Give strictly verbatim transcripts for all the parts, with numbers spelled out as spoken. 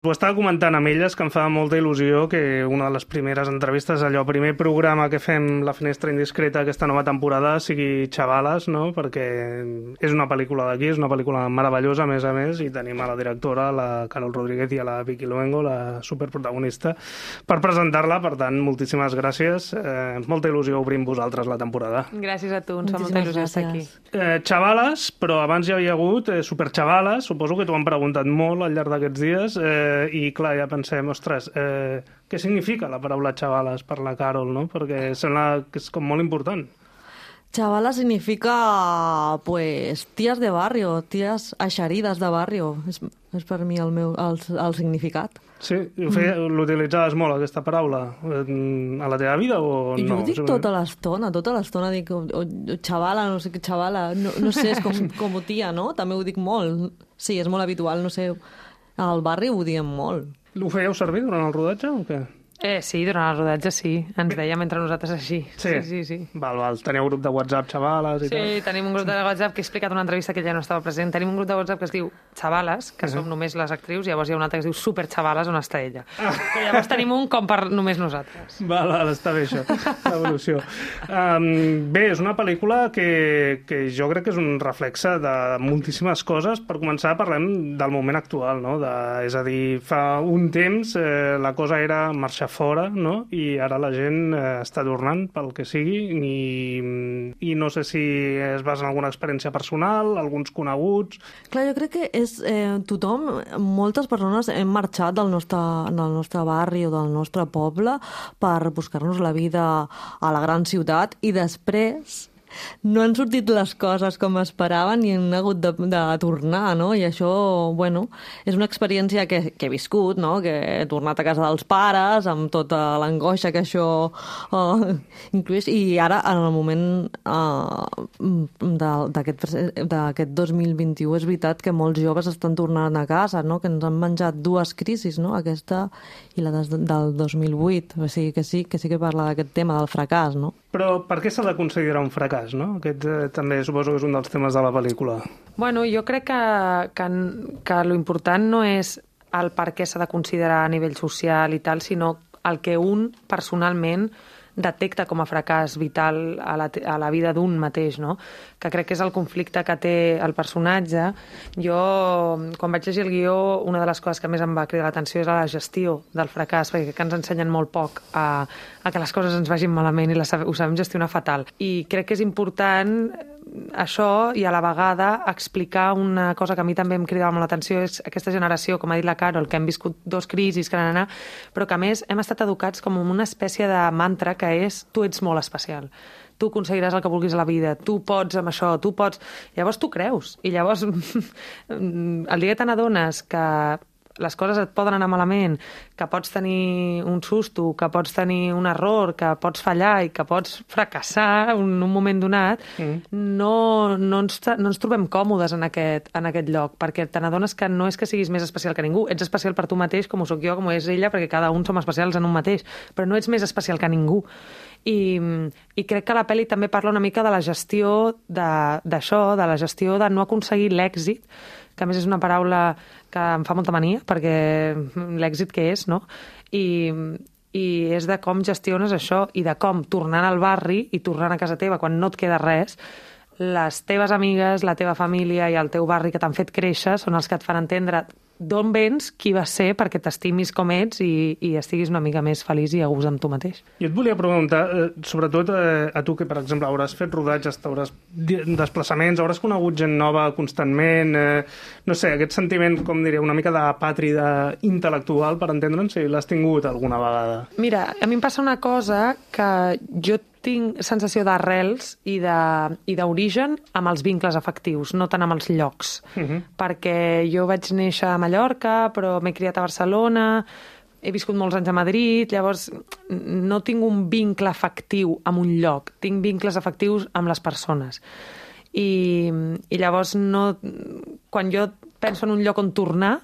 Ho estava comentant amb elles, que em fa molta il·lusió que una de les primeres entrevistes, allò, primer programa que fem La Finestra Indiscreta aquesta nova temporada sigui Xavales, no? Perquè és una pel·lícula d'aquí, és una pel·lícula meravellosa, a més a més, i tenim a la directora, la Carol Rodríguez, i a la Vicky Luengo, la superprotagonista, per presentar-la. Per tant, moltíssimes gràcies. Eh, molta il·lusió obrir amb vosaltres la temporada. Gràcies a tu, ens fa molta il·lusió estar aquí. Eh, Xavales, però abans ja havia hagut eh, Superxavales, suposo que t'ho han preguntat molt al llarg d'aquests dies, eh, i clar, ja pensem, ostres, eh, què significa la paraula xavales per la Carol, no? Perquè sembla que és com molt important. Chavala significa, pues, tías de barrio, tías eixerides de barrio. És, és per mi el, meu, el, el significat. Sí? Mm. L'utilitzaves molt, aquesta paraula, a la teva vida o no? Jo ho dic tota l'estona, tota l'estona dic, o, o, xavala, no sé què, xavala, no, no sé, és com, com tia, no? També ho dic molt. Sí, és molt habitual, no sé... Al barri ho diem molt. Ho fèieu servir durant el rodatge o què? Eh, sí, durant el rodatge sí. Ens dèiem entre nosaltres així. Sí? Sí, sí, sí. Val, val. Teniu grup de WhatsApp, xavales i sí, tal? Sí, tenim un grup de WhatsApp que he explicat una entrevista que ja no estava present. Tenim un grup de WhatsApp que es diu Xavales, que uh -huh. som només les actrius, i llavors hi ha un altre que es diu Super Xavales, on està ella. Ah. Que llavors tenim un com per només nosaltres. Val, val, està bé això, l'evolució. Um, bé, és una pel·lícula que, que jo crec que és un reflexe de moltíssimes coses. Per començar, parlem del moment actual, no? De, és a dir, fa un temps eh, la cosa era marxar fora, no? I ara la gent eh, està tornant pel que sigui i, i no sé si es basa en alguna experiència personal, alguns coneguts... Clar, jo crec que és eh, tothom, moltes persones hem marxat del nostre, del nostre barri o del nostre poble per buscar-nos la vida a la gran ciutat i després no han sortit les coses com esperaven i han hagut de, de tornar, no? I això, bueno, és una experiència que, que he viscut, no? Que he tornat a casa dels pares amb tota l'angoixa que això uh, incluís. I ara, en el moment uh, d'aquest dos mil vint-i-u, és veritat que molts joves estan tornant a casa, no? Que ens han menjat dues crisis, no? Aquesta i la des, del dos mil vuit. O sigui que sí, que sí que parla d'aquest tema del fracàs, no? Però per què s'ha de considerar un fracàs, no? Aquest eh, també suposo que és un dels temes de la pel·lícula. Bueno, jo crec que, que, que lo important no és el per què s'ha de considerar a nivell social i tal, sinó el que un personalment detecta com a fracàs vital a la, a la vida d'un mateix, no? Que crec que és el conflicte que té el personatge. Jo, quan vaig llegir el guió, una de les coses que més em va cridar l'atenció és la gestió del fracàs, perquè que ens ensenyen molt poc a, a que les coses ens vagin malament i la, ho sabem gestionar fatal. I crec que és important això i a la vegada explicar una cosa que a mi també em cridava molt l'atenció, és aquesta generació, com ha dit la Carol, que hem viscut dos crisis, que n'anà, però que a més hem estat educats com una espècie de mantra que és tu ets molt especial, tu aconseguiràs el que vulguis a la vida, tu pots amb això, tu pots... Llavors tu creus, i llavors el dia que te n'adones que les coses et poden anar malament, que pots tenir un susto, que pots tenir un error, que pots fallar i que pots fracassar en un moment donat, mm. no, no, ens, no ens trobem còmodes en aquest, en aquest lloc, perquè te n'adones que no és que siguis més especial que ningú, ets especial per tu mateix, com ho soc jo, com ho és ella, perquè cada un som especials en un mateix, però no ets més especial que ningú. I, i crec que la pel·li també parla una mica de la gestió d'això, de, de la gestió de no aconseguir l'èxit, que a més és una paraula que em fa molta mania, perquè l'èxit que és, no? I, i és de com gestiones això i de com, tornant al barri i tornant a casa teva quan no et queda res, les teves amigues, la teva família i el teu barri que t'han fet créixer són els que et fan entendre d'on vens, qui vas ser, perquè t'estimis com ets i, i estiguis una mica més feliç i a gust amb tu mateix. Jo et volia preguntar, eh, sobretot eh, a tu que, per exemple, hauràs fet rodatges, t'hauràs desplaçaments, hauràs conegut gent nova constantment, eh, no sé, aquest sentiment, com diria, una mica de pàtrida intel·lectual, per entendre'ns, si l'has tingut alguna vegada. Mira, a mi em passa una cosa que jo tinc sensació d'arrels i d'origen amb els vincles afectius, no tant amb els llocs. Uh -huh. Perquè jo vaig néixer a Mallorca, però m'he criat a Barcelona, he viscut molts anys a Madrid, llavors no tinc un vincle afectiu amb un lloc, tinc vincles afectius amb les persones. I, i llavors no, quan jo penso en un lloc on tornar,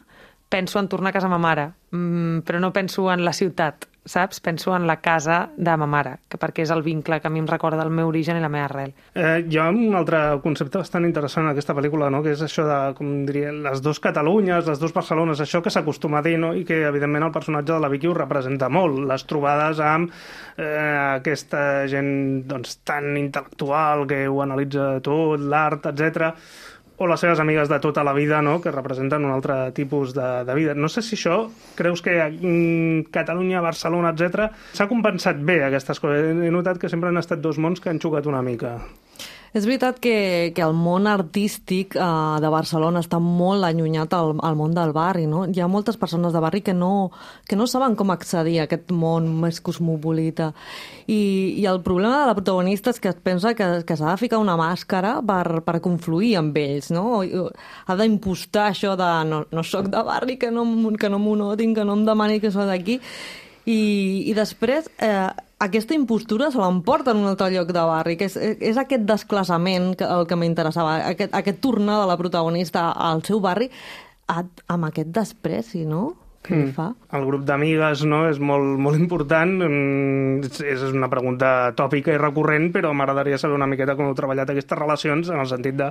penso en tornar a casa ma mare, mm, però no penso en la ciutat, saps? Penso en la casa de ma mare, que perquè és el vincle que a mi em recorda el meu origen i la meva arrel. Eh, hi ha un altre concepte bastant interessant en aquesta pel·lícula, no? Que és això de, com diria, les dues Catalunyes, les dues Barcelones, això que s'acostuma a dir, no? I que, evidentment, el personatge de la Vicky ho representa molt. Les trobades amb eh, aquesta gent doncs, tan intel·lectual que ho analitza tot, l'art, etcètera, o les seves amigues de tota la vida, no?, que representen un altre tipus de, de vida. No sé si això, creus que mm, Catalunya, Barcelona, etcètera, s'ha compensat bé aquestes coses? He notat que sempre han estat dos mons que han xocat una mica. És veritat que, que el món artístic eh, de Barcelona està molt allunyat al, al món del barri, no? Hi ha moltes persones de barri que no, que no saben com accedir a aquest món més cosmopolita. I, i el problema de la protagonista és que es pensa que, que s'ha de ficar una màscara per, per confluir amb ells, no? Ha d'impostar això de no, no soc de barri, que no, que no m'ho notin, que no em demani que soc d'aquí. I, i després eh, aquesta impostura se l'emporta en un altre lloc de barri, que és, és aquest desclassament que, el que m'interessava, aquest, aquest tornar de la protagonista al seu barri a, amb aquest despreci, no?, que li fa. El grup d'amigues, no?, és molt, molt important. És, és una pregunta tòpica i recurrent, però m'agradaria saber una miqueta com heu treballat aquestes relacions, en el sentit de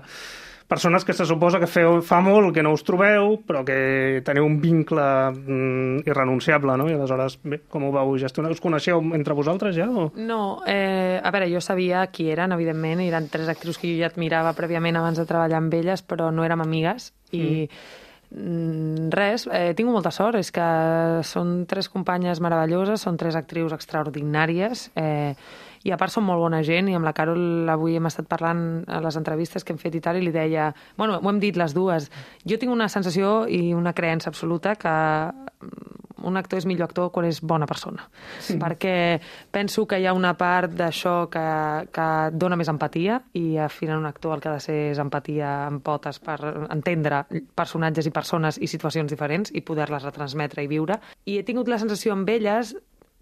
persones que se suposa que feu, fa molt que no us trobeu, però que teniu un vincle mm, irrenunciable, no? I aleshores, bé, com ho vau gestionar? Us coneixeu entre vosaltres ja? O? No, eh, a veure, jo sabia qui eren, evidentment, eren tres actrius que jo ja admirava prèviament abans de treballar amb elles, però no érem amigues, i mm. res, eh, tinc molta sort, és que són tres companyes meravelloses, són tres actrius extraordinàries, eh, i a part són molt bona gent, i amb la Carol avui hem estat parlant a les entrevistes que hem fet i tal, i li deia, bueno, ho hem dit les dues, jo tinc una sensació i una creença absoluta que un actor és millor actor quan és bona persona, sí. Perquè penso que hi ha una part d'això que, que dona més empatia, i al final un actor el que ha de ser és empatia amb potes per entendre personatges i persones i situacions diferents i poder-les retransmetre i viure, i he tingut la sensació amb elles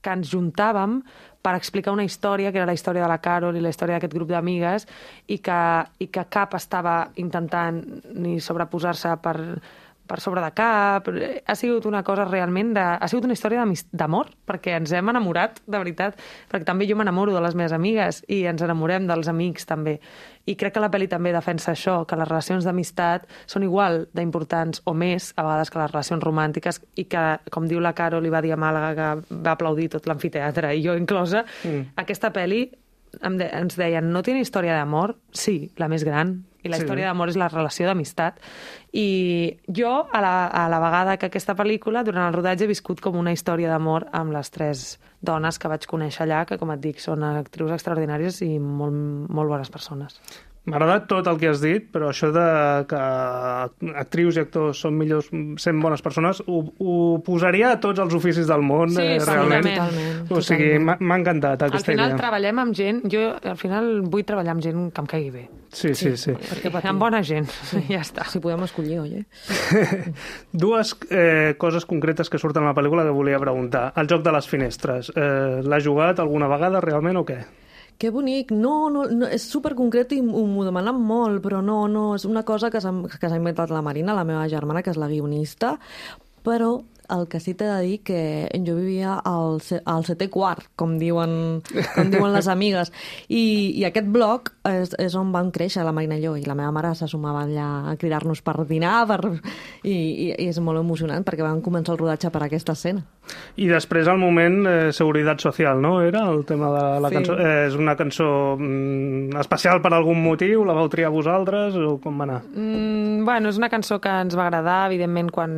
que ens juntàvem per explicar una història, que era la història de la Carol i la història d'aquest grup d'amigues, i que, i que cap estava intentant ni sobreposar-se per, per sobre de cap. Ha sigut una cosa realment de... Ha sigut una història d'amor, perquè ens hem enamorat, de veritat, perquè també jo m'enamoro de les meves amigues i ens enamorem dels amics, també. I crec que la pel·li també defensa això, que les relacions d'amistat són igual d'importants o més, a vegades, que les relacions romàntiques, i que, com diu la Carol, li va dir a Màlaga, que va aplaudir tot l'amfiteatre, i jo inclosa, mm. aquesta pel·li de, ens deien, no tiene història d'amor? Sí, la més gran. I la sí. història d'amor és la relació d'amistat. I jo, a la, a la vegada que aquesta pel·lícula, durant el rodatge, he viscut com una història d'amor amb les tres dones que vaig conèixer allà, que, com et dic, són actrius extraordinàries i molt, molt bones persones. M'ha agradat tot el que has dit, però això de que actrius i actors són millors sent bones persones, ho, ho posaria a tots els oficis del món, sí, eh, realment. Totalment. O sigui, m'ha encantat aquesta idea. Al final idea. treballem amb gent, jo al final vull treballar amb gent que em caigui bé. Sí, sí, sí. sí. Perquè amb bona gent, sí. ja està. Si podem escollir, oi? Dues eh, coses concretes que surten a la pel·lícula que volia preguntar. El joc de les finestres. Eh, L'has jugat alguna vegada realment o què? Que bonic. No, no, no, és superconcret i m'ho demanen molt, però no, no, és una cosa que s'ha inventat la Marina, la meva germana, que és la guionista, però el que sí t'he de dir que jo vivia al, al setè quart, com diuen, com diuen les amigues, i, i aquest bloc és, és on vam créixer la Marina i jo, i la meva mare se sumava allà a cridar-nos per dinar, per... I, i, i és molt emocionant perquè vam començar el rodatge per aquesta escena. I després el moment eh, Seguretat Social, no? Era el tema de la sí. cançó. Eh, és una cançó mm, especial per algun motiu? La vau triar vosaltres o com va anar? Mm, bueno, és una cançó que ens va agradar, evidentment, quan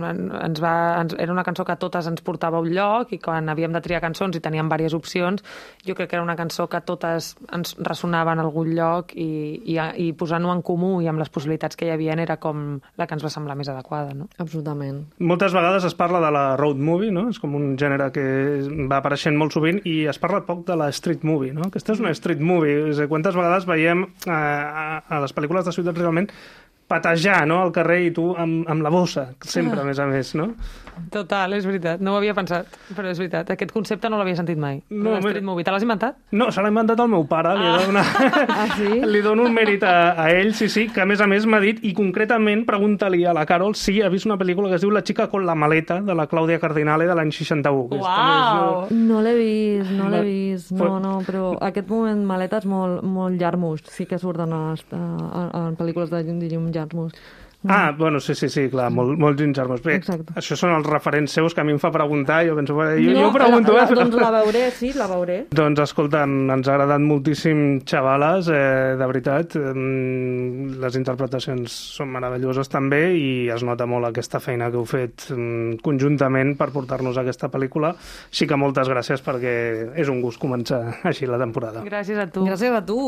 ens va, ens, era una cançó que a totes ens portava a un lloc, i quan havíem de triar cançons i teníem diverses opcions, jo crec que era una cançó que totes ens ressonava en algun lloc, i, i, i posant-ho en comú i amb les possibilitats que hi havia era com la que ens va semblar més adequada, no? Absolutament. Moltes vegades es parla de la road movie, no? És com un gènere que va apareixent molt sovint, i es parla poc de la street movie, no? Aquesta és una street movie. És a dir, quantes vegades veiem eh, a, a les pel·lícules de ciutats realment patejar, no?, al carrer i tu amb, amb la bossa, sempre, a més a més, no? Total, és veritat. No ho havia pensat, però és veritat. Aquest concepte no l'havia sentit mai. No, No, Street Movie. Te l'has inventat? No, se l'ha inventat el meu pare. Li, he de donar... Ah, sí? li dono un mèrit a, a ell, sí, sí, que a més a més m'ha dit, i concretament pregunta-li a la Carol si ha vist una pel·lícula que es diu La chica con la maleta, de la Clàudia Cardinale, de l'any seixanta-u. que és Uau! també No l'he vist, no l'he Va- vist. No, no, però aquest moment maleta és molt, molt Jarmusch. Sí que surten a, a, a, en pel·lícules de, de Jim Jarmusch. Ah, bueno, sí, sí, sí, clar, molt, molt Jim Jarmusch. Bé, Exacte. això són els referents seus que a mi em fa preguntar, jo penso, jo, jo no, ho pregunto, la, eh? la, doncs la veuré, sí, la veuré. Doncs escolta, ens ha agradat moltíssim Xavales, eh, de veritat. Eh, les interpretacions són meravelloses també i es nota molt aquesta feina que heu fet eh, conjuntament per portar-nos a aquesta pel·lícula. Així que moltes gràcies perquè és un gust començar així la temporada. Gràcies a tu. Gràcies a tu.